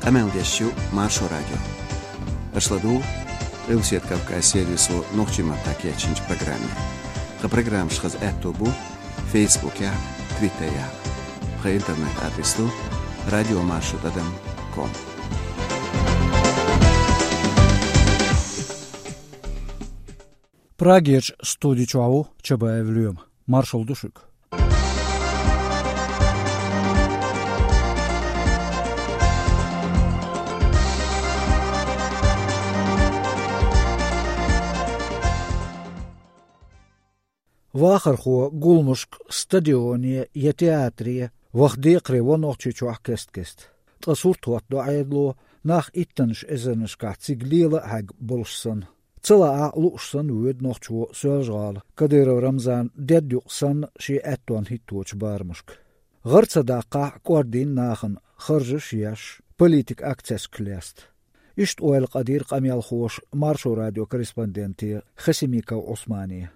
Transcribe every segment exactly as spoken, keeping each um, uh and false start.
Къамел деш ю Маршо радио. Аша ладугӀу Къилбаседа Кавказан сервисо нохчийн маттахь кечйинчу программе. Тхан программаш хаза аьтто бу Фейсбукехь, Твиттерехь. Тхан интернет-адрес ду радиомаршо тӀадам ком. Прагерчу студи чохь ву Чабаев Лоьма. Маршалла ду шуьга. Вахархо гуламашка, стадионе я театре, ваха декхаре во Нохчийчохь кест-кеста. Ткъа сурт хӀоттадо Ӏедало, нах иттаннаш эзарнашкахь цига лела а хьегна болуш санна. Ца лаахь а, лууш санна воьду нохчо Соьлжа-ГӀала, Кадыров Рамзан дедда юкъа санна шен аьттонна хӀитточу барамашка. ГӀар ца даккхахь а, кӀордийна нахана харжаш а еш, политикан акцешка лаьцна. Иштта ойла къадийра къамелхоша Маршо радион корреспонденте Хасимиков Ӏусмане.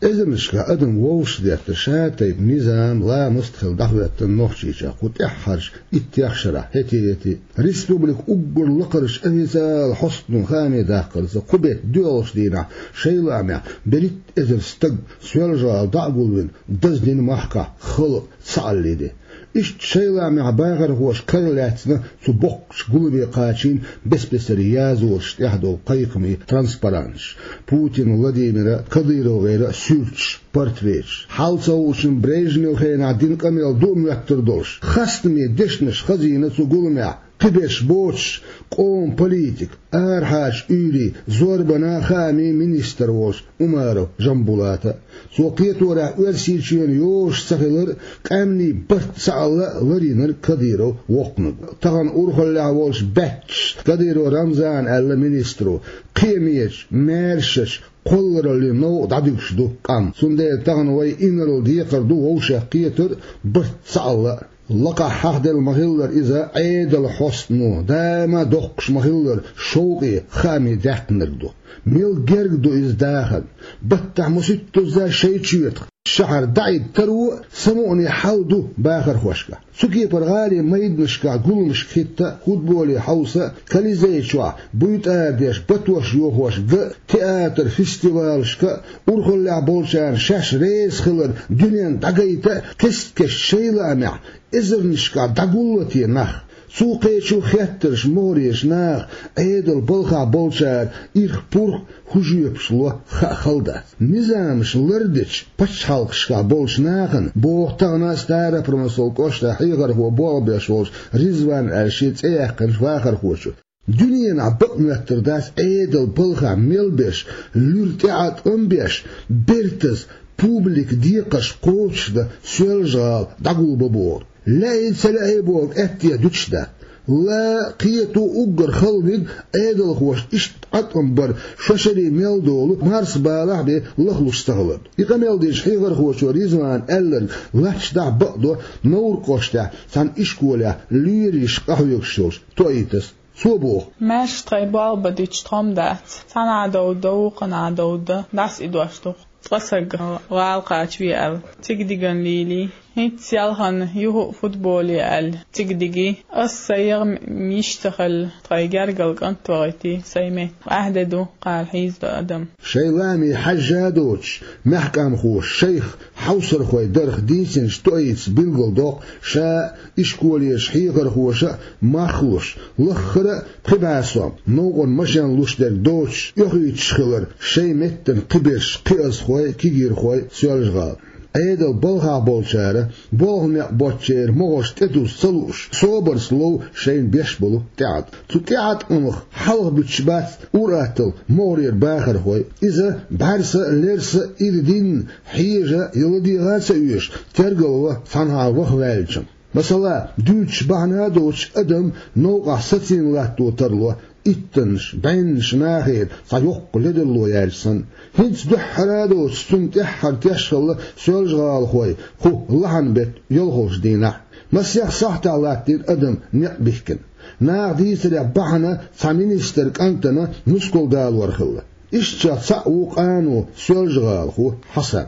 Эзарнашкахь адам вовшах деттара ша-тайпа низам, ламаст а хилла дӀахӀоьттина Нохчийчохь кху тӀаьххьарчу иттех шарахь хӀетте-хӀетте. Республикан уггар лакхарчу официалан хьостано хааме даккхарца кху беттан доьалгӀачу дийнахь шайн лаамехь берхӀитта эзар стаг Соьлжа-ГӀала дӀа а гулвина, даздина махкахь хала а, цхьаалле а де. Иштта шайн лаамехь бахархоша кара лаьцна цу боккхачу гуламе кхачийна бес-бесара язораш тӀехь долу кхайкхамаш, транспаранташ, Путин Владимиран, КадыровгӀеран суьрташ, портреташ, хьал ца хууш Брежневн хенахь дина къамел ду а моьттур долуш, хастаме дешнаш хазийна цу гуламехь, кхиберш боцуш, къоман политик, арахьарчу уьйрийн, зорбанан хаамийн министр волчу Умаров Жамбулата. Цо кхеторехь Оьрсийчоьнан йозуш ца хилар а, къаьмнийн барт цхьаалла а ларйинарг Кадыров воккханиг. Тахана урхаллехь волчу баьчча Кадыров Рамзана аьлла министро: «Кхиамечу, маьршачу кхоллараллин новкъа дӀадуьгуш ду къам. Цундела тахана вайн инарла декхар ду вовшех кхетар а, барт цхьаалла а». Лакхахь хьахделла ма-хиллара иза Ӏедалан хьостано, даима доккхуш ма-хиллара шовкъе хааме даьккхинарг ду. Мел герга ду иза дахарна! Баттахь масийттазза шайн чоьтах шахьар дӀаийта таро а самукъане хьал ду бахархошкахь. Цу кепара гӀалин майданашкахь гуламашка хӀитта а, футболе хьовса а, Колизей чохь буьйтӀара деш, батош йохош ган а, театр, фестивалашка а, урхаллехь болчарна шаьш реза хиларна дуьненна дӀагайта а кест-кеста шайн лаамехь эзарнашкахь дӀагулло те нах? Цо кхечу хеттарш могӀарерчу наха, Ӏедалан балхахь болчара ирх-пурх а, хӀун жоьпаш ло хаа хала дац. Низамаш лардечу пачхьалкхашкахь болчу нахана, боху тахана Старопромыслан кӀоштахь хьехархо болх беш волчу Ризвана аьлла шен цӀе яьккхинчу вахархочо, дуьненахь бакъ моьттур дац Ӏедалан балхахь мел берш, луьра тӀеӀаткъам беш, бертаза, публикан декхарш кхочушдан Соьлжа-ГӀала дӀагулбан бохург. Лаьий, ца лаьий бохург аьттехьа дуьтуш дац. Ла, кхето уггар хала вига Ӏедалхошна иштта Ӏаткъам бар шо шаре мел долу марсбалахь бен лахлуш ца хилар. И къамел динчу хьехархочо Ризвана аьлларг латташ дахьа бакъдо Невран кӀоштахь цхьана ишколехь лоьрийн йиша къахьоьгуш йолчу Тоитас. Цо боху: «Маьрша тхайн болх бан дуьтуш тхо-м дац. Цхьана а довда, вукхана а довда, дӀасаидош ду-кх. Цкъа саг гӀала кхачаве аьлла, цига дигна лелий. ХӀинцца ялханна юха а футболе аьлла, цига дигий. Ас, сан ягӀ, миша ца хилла, тхайн гергара кӀант вахийтий сайн метта. Ахь де ду, кхара хьийза ду адам». Шайн лааме хьаьжжа а доцуш, мехкамхоша шайх хьовсархой дарх дийцинчу Тоитас билгалдоккху, ша а, ишколерчу хьехархоша а мах луш, лаххара а пхи бӀе сом, новкъана машен луш дерг доцуш, оьхуьйтуш хилар шайн меттана кхиберш кхиазхой а, кегийрхой а Соьлжа-ГӀала. Ӏедалан балхахь болчара, болх некъ боцучеран могӀарш тӀедуза ца лууш, собарца лов шайна беш болу тӀеӀаткъам. Цу тӀеӀаткъамах хьалха буьтуш бац ур-атталла могӀарера бахархой. Иза бӀаьрса а, лерса а ирдинна, хьежа я ладегӀа а ца оьшу, тергал ван цхьанхьа ваха ваьллачунна. Масала, дуьйцуш бахьана а доцуш, адам новкъахь сацийна латто тарло, иттаннаш, бӀеннаш нахера цхьа йоккха ледарло яьлча санна. ХӀинца дуьххьара а доцуш, цунна тӀаьххьара теш хилла соьлжагӀалахой, кху лахьан беттан ялхолгӀачу дийнахь. Масех сахьтехь латтийна адам некъ бихкина. Наха дийцарехь, бахьана цхьа министран кӀантана мускал далор хилла. Ишттачех цхьаъ ву къано, соьлжагӀалахо Хьасан.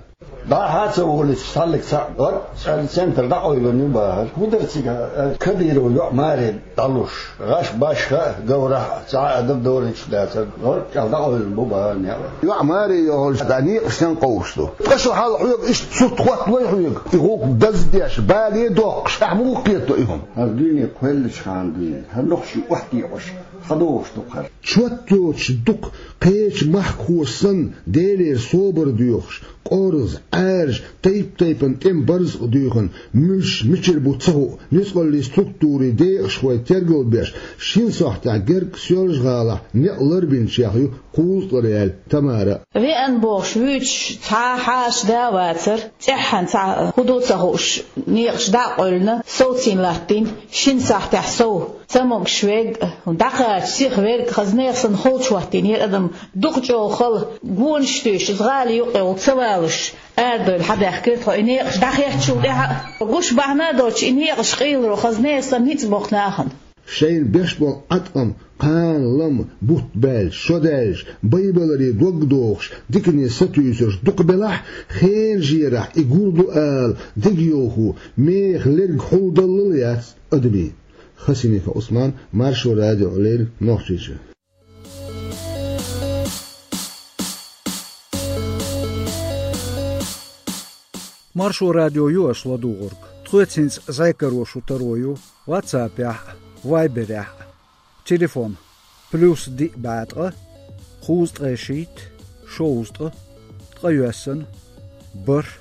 ДӀахьа а ца волуьйтуш, цхьаллиг цхьаъ дора, цӀарна центр дӀакъовлина ю бахара. ХӀун дара цига, аьлла, Кадыровн йоӀ маре дӀалуш, гӀаш башха а, говрахь а, цхьа а адам долуьйтуш дацара, норчӀал дӀакъовлина бу бахара некъ. ЙоӀ маре йохуш, дӀа некъаш стенна къовсуш ду. Ткъа шу хьалха хьоьга иштта сурт хӀотталой хьоьга? И гӀуллакх даздеш, бале доккхуш, ахьа муха кхетадо и хӀума? ХӀара дуьне кхоьллинчу ханна дуьне, хӀара нохчий охьатаьӀаш, хьадогӀуш ду-кх хӀара. Чот йоцуш дукха кхечу махкахоша санна, Делера собар доьхуш, къорза, Ӏаьржа, тайп-тайпана тӀеман барзакъ дуьйхина, муьлш мичара бу ца хуу, ницкъаллин структурийн декъашхой тергал беш, шина сохьтехь Герга-Соьлжа-ГӀалахь некъ ларбинчех ю кхузткъа лар яьлла Тамара. Веана бохуш вуьйцуш цхьа хьаша да а вацара, цӀеххьана цхьа хӀун ду ца хууш, некъаш дӀа а къевлина, совцийна латтийна, шина сахьтехь сов. Ца могуш верг, дӀакхача сиха верг, хаза нехан санна холчу хӀоттийнера адам, дукха чӀогӀа хала, гонаш туьйсуш, иза гӀалин юккъехула ца валуш, арадевлла хьадаьхкира тхо и некъаш дӀахецначул тӀаьхьа а. Гуш бахьана а доцуш, и некъаш къийларо хаза нехан санна ницкъ боккху нахана. Шайна беш болу Ӏаткъам, кхана лам, бутт баьлча, шо даьлча, байбаларе дог дохуш, дикане сатуьйсурш дукха белахь, хенан жерахь и гур ду ала дегайовхо, меха лерг хьулдаллал яц адамийн. Хасимиков Ӏусман, Маршо радиона леррина, Нохчийчоь. Маршо радио ю аша ладугӀург. Тхоьца хӀинца зӀе каро шун таро ю WhatsApp-ехь а, Viber-ехь а. Телефон: плюс диъ бӀе ткъа, кхузткъе шийтта, шовзткъа, ткъайоьсна, бархӀ,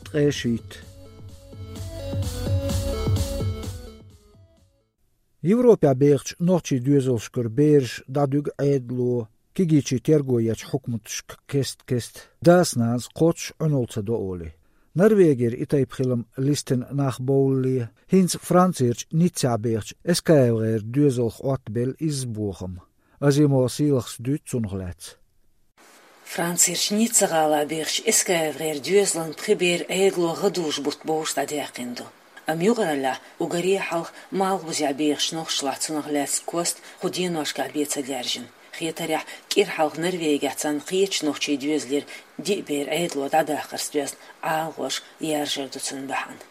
ткъе шийтта. Европехь бехачу нохчийн доьзалшкара бераш дӀадуьгу Ӏедало, кегийчийн терго ечу хьукматашка кест-кеста, дас-нанас кхоччуш Ӏуьналла ца до олий. Норвегера и тайпа хилам листина нах бовлале, хӀинца Францерчу Ниццехь бехачу СКФ-гӀеран доьзалх Ӏоттабелла изза бохам. Азимова Сийлахас дуьйцу цунах лаьцна. Францерчу Ницца-гӀалахь бехачу СКФ-гӀеран доьзалан пхи бер Ӏедало гӀадужу бутт бовлуш дӀадаьккхина ду. Амма юкъараллехь уггаре а хьалха Малхбузехь бехачу нохчашлахь цунах лаьцна кост кху деношкахь бен ца даьржина. Хетарехь, кӀира хьалха Норвегехь царна кхечу нохчийн доьзалера диъ бер Ӏедало дӀадаккхарца доьзна ӀалагӀожа яржар ду цунна бахьана.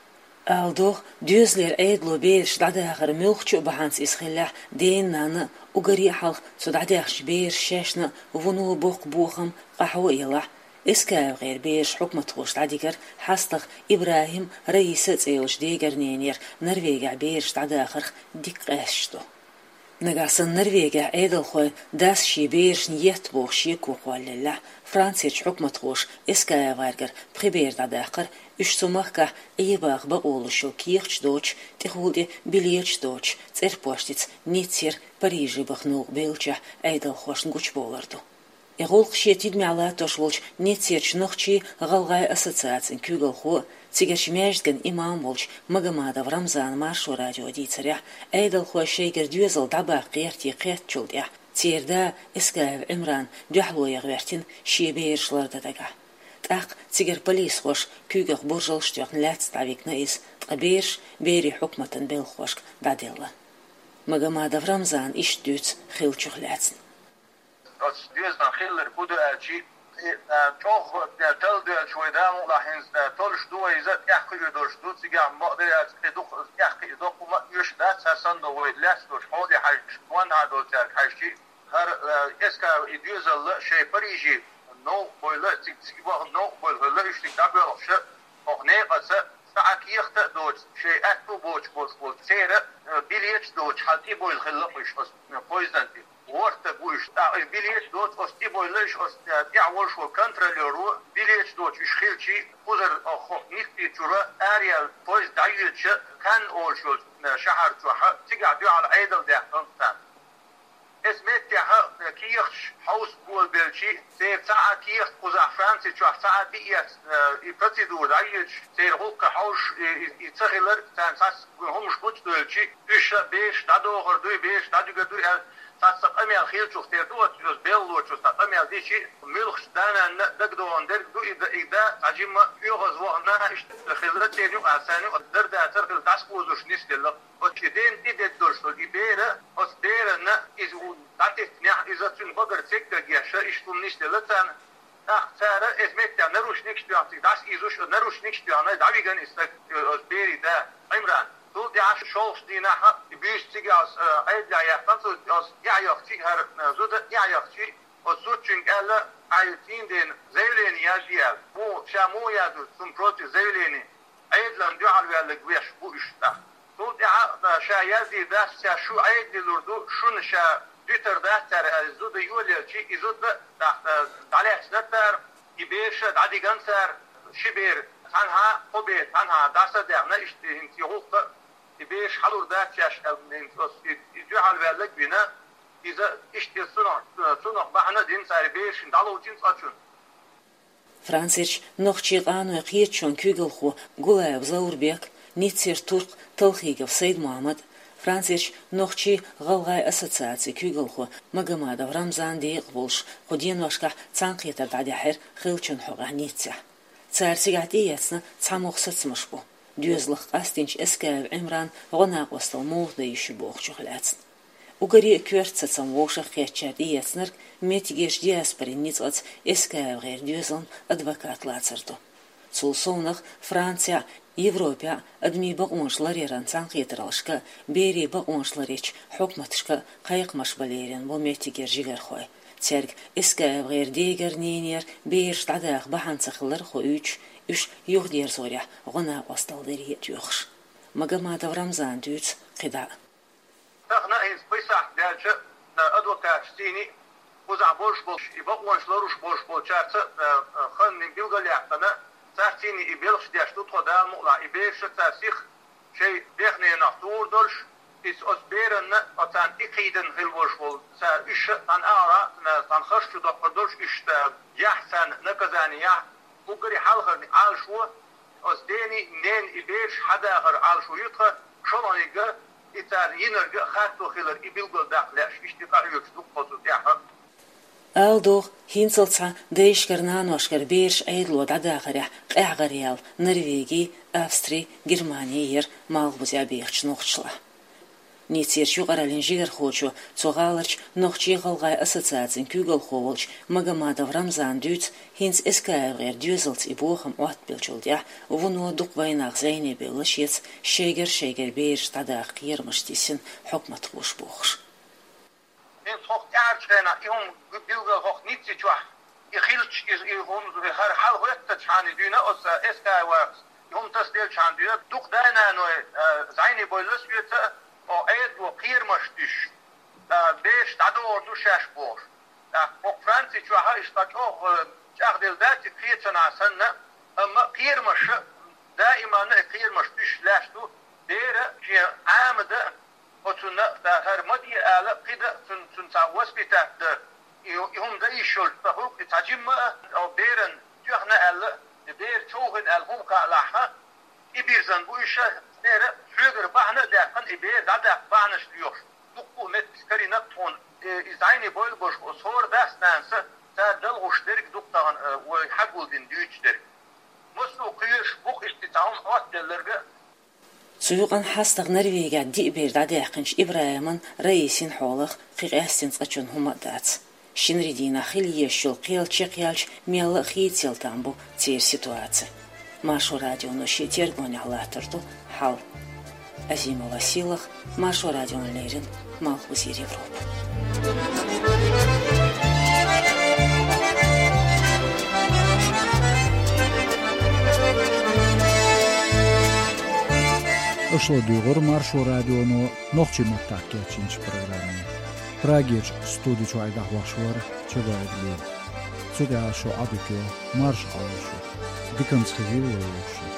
Ала догӀу, доьзалера Ӏедало бераш дӀадахаран муьлххачу а бахьанца иза хиллехь, дена-нанна а, уггаре а хьалха цу дӀадаьхначу бераша шаьшна а вуно боккха бохам, къахьо а елахь, СКФ-гӀеран бераш хьукматхоша дӀадигара ХьастагӀа ИбрахӀим, Раиса цӀе йолчу дегара ненера Норвегехь бераш дӀадахарх дика къаьсташ ду. Нагахь санна Норвегехь Ӏедалхой дас шен берашна етта бохуш шеко кхоллаеллехь, Францерчу хьукматхоша СКФ-гӀергара пхи бер дӀадаккхар, уьш цу махкахь Ӏебаха бакъо луш йолу кехаташ доцуш, тӀехула тӀе билеташ доцуш, цӀерпоштица Ниццера Париже баха новкъа бевллачохь Ӏедалхошна гучубовлар ду. И гӀуллакх шен тидамехь латтош волчу Ниццерчу нохчийн-гӀалгӀайн ассоциацин куьйгалхо а, цигарчу маьждиган имам а волчу Магомадов Рамзана Маршо радио дийцарехь, Ӏедалхой шайгара доьзал дӀабаккха гӀертий кхеттачул тӀаьхьа, церан да СКФ-н Ӏимран дуьхьало ян гӀоьртина шен бераш лардан дагахь. ТӀаккха цигара полисхоша куьйгах буржалш а тоьхна, лаьцна дӀавигна иза, ткъа бераш берийн хьукматан белхахошка дӀаделла. Магомадов Рамзана иштта дуьйцу хиллачух лаьцна. Оцу доьзалан хилларг хӀун ду аьлчи, и, а, чӀогӀа, а, талла доьлча вай Дала мукъалахь хӀинца, а, толуш ду вай иза, тӀехкхиир долуш ду, цигахь ма-, бакъдерг аьлча, кхин дукха, тӀехкхиир доккха ма оьшуш дац, хӀара санна долу вай лаьцна долчу хьоле хьаьжча, ванхьа долчаьрга хьаьжчи, хӀара, а, эска и доьзалла шайн Париже новкъа бевлла, цига, цига бахана новкъа бевлла хилла, уьш цига дӀабоьлхуша, хӀокху некъаца, цхьа а кехат а доцуш, шайн аьтто а боцуш болуш болчу церан, а, билеташ доцуш, хьал тӀебевлла хилла уьш оцу, а, поездана тӀе. ВорхӀ стаг ву уьш. ТӀаккха и билеташ доцуш оцу тӀебевлла уьш, оцу, а, тӀехь волуш волу контролёро билеташ доцуш уьш хилчи, кхузара, а, хӀокху Ницци чуьра араяьлла поезд дӀайоьдуш, Канн олуш йолчу, а, шахьар чохь, цигахь дуьхьал Ӏедал даьккхина царна. Эс меттехь, а, кехаташ хьовса болабелчи, церан цхьа а кехат кхузахь Франци чохь цхьа а тӀеэцна, а, и процедура дӀайоьдуш, церан гӀуллакх хьовсуш, и, и, и ца хилар, царна цхьацца хӀумаш гучудевлчи, уьш а бераш дӀадохур дуй, бераш дӀадуьгур дуй аьлла, цхьацца къамел хиллачух тера ду оцу, оцу беллачо цхьа къамел дичи, муьлххачу да-нанна дагадогӀун дерг ду и да, и да цхьа жимма оьгӀаз вахана, иштта хилла церан юкъахь, царна юкъахь дара-дацара хилла дӀасакхозуш нисделла. Оцу и ден тӀедеддалуш долу и бер а, оцу беранна иза ву дӀатеттинехь, иза цуьнан багара цегга геша, иштта хӀума нисделла царна. ТӀаккха цара эс меттехь наручникаш тоьхна цига дӀасаийзуш, наручникаш тоьхна дӀавигна и стаг, оцу берийн да Ӏимран. Цул тӀаьхьа шолгӀачу дийнахь и буьйса цига оцу, э, Ӏедалехь яьккхина, цо оцу тӀаьхьа яхчий, хӀара, э, зуда тӀаьхьа яхчий, оцу зудчуьнга аьлла, хьайн цӀийнден заявление яздеш. Муха, ша муха яздеш, цунна против заявление. Ӏедална дуьхьал ваьлларг веш бу уьш тӀаккха. Цул тӀаьхьа, а, ша яздийр дац, ша шу Ӏедале лур ду, шуна ша дуьтур дац цара аьлла, зуда йолаелча, и зуда тӀаккха, а, дӀалаьцна цара, и бераш а дӀадигна цара, ши бер цхьанхьа, кхо бер цхьанхьа дӀасадаьхна, иштта хӀинца и гӀуллакх, и бераш хьалур дац шаьш аьлла, хӀинца оцу и, и дуьхьал ваьлларг вина, иза иштта цунах, цунах бахьана а дина цара берашна дӀаловзийна цкъачунна. Францерчу нохчийн къаной кхеташонан куьйгалхо Гулаев Заурбек, Ниццера туркх Талхигов Сайд-Мохьмад, Францерчу нохчийн-гӀалгӀайн ассоциацин куьйгалхо Магомадов Рамзан декъахь болуш, кху деношкахь цхьаьнакхетар дӀадаьхьира Хиллачу хьокъехь Ниццехь. Цара цигахь тӀеэцна цхьа могӀа сацамаш бу, доьзалх къастийначу Эскаев Ӏимрана гӀо-накъосталла муха дан йиш ю бохучух лаьцна. Уггаре а коьрта сацам вовшах кхеттачара тӀеэцнарг меттигерчу диаспорин ницкъаца СКФ-гӀеран доьзалан адвокат лацар ду. Цул совнах Францехь, Европехь адамийн бакъонаш ларъяран цхьаьнакхетараллашка а, берийн бакъонаш ларъечу хьукматашка а кхайкхамаш бан лерина бу меттигера жигархой. Цаьрга СКФ-гӀеран дегара, ненера бераш дӀадаха бахьана ца хилар а хоуьйтуш, уьш юхадерзорехь гӀо-накъосталла даре а тоьхуш. Магомадов Рамзана дуьйцу кхидӀа а. Тахана а хӀинца пхи сахьт даьлча, а, адвокаташций а, кхузахь болуш болчу, и бакъонаш лоруш болуш болчаьрца а, а, хан билгалъяьккхина, царций а и белхаш деш ду тхо, Дала мукъалахь, и бераш а цара сиха шайн бехненах тур долуш, иза оцу беранна, оцарна тӀекхийдина хила волуш волу цара, уьш а цхьана агӀора, а, цхьана харш чу доккхур долуш, уьш, а, яхь царна наказание яхь, уггаре хьалхарниг Ӏалашо, оцу дений, ненний и бераш хьадахар Ӏалашо ю тхан, шолгӀаниг а, и цара йинарг а хатто хилар, и билгалдаккха лаьаш, иштта къахьоьгуш ду-кх оцу тӀехь. Ала догӀу, хӀинцалц цхьа дайшкара, наношкара бераш Ӏедало дӀадахарехь къаьхьа гӀараяьлла Норвеги, Австри, Германи яра Малхбузехь бехачу нохчашлахь. Ниццерчу юкъараллин жигархочо, цу гӀаларчу нохчийн-гӀалгӀайн ассоциацин куьйгалхо волчу Магомадов Рамзана дуьйцу, хӀинца СКФ-гӀеран доьзалца и бохам Ӏоттабеллачул тӀаьхьа вуно дукха вайнах зӀене бевлла шеца шайгара-шайгара бераш дӀадаха кхерамаш тиссина хьукматхоша бохуш. ХӀинца хӀокху тӀаьхьарчу хенахь и хӀума билггал хӀокху Ницце чохь и хилча, и, и хӀума, и хӀара хьал хӀоьттачхьана дуьйна оцу СКФ-гӀерца, и хӀума тасаделлачхьана дуьйна дукха дай-наной, а, зӀене бевлла соьца, о, Ӏедало кхерамаш тиссина, а, бераш дӀадохур ду шаьш бохуш. ТӀаккха хӀокху Франци чохь а иштта чӀогӀа, э, чӀагӀделла дац и кхечанхьа санна, амма кхерамаш а, даиманна и кхерамаш тиссаш лаьтташ ду, бер а шен Ӏамадан а, оцунна а, хӀара ма де ала а, кхин а цунна, цунна цхьа воспитать дан, и, и хӀума дан йиш йолуш ца хуьлу, и цхьа жимма а, о, беран тоьхна аьлла, и бер човхийна аьлла хӀума хаалахь а, и бирзина бу уьш а, церан соьгара бахьана а даьккхина, и бер дӀадаккха бахьанаш лоьхуш. Дуккха а меттигаш карийна тхуна, э, и зӀене бевлла болуш оцу хӀора дас-нанас а, цара далгӀуш дерг дукха тахана, э, вай хьагулдина дуьйцуш дерг. Массо а кхоьруш бу-кх иштта цхьа хӀума Ӏоттаделларг а. Цу юкъанна хьастагӀа Норвегехь диъ бер дӀадаьккхинчу ИбрахӀиман, Раисин хьолах кхин къаьстина цкъачунна хӀума а дац. Шинарин дийнахь хила езаш йолу кхел чекхъяьлча, мелла а хийцаялла там бу церан ситуаци. Маршо радионо шен тергонехь латтор ду хьал. Азимова Сийлаха, Маршо радиона леррина, Малхбузера Европа. Аша ладуьйгӀура Маршо радионо нохчийн маттахь кечйинчу программе. Прагерчу студи чуьра дӀахьош вара Чабаев Лева. Цу тӀехь шу Ӏадика йо, марша Ӏойла шу. Диканца хезийла вай вовшашна.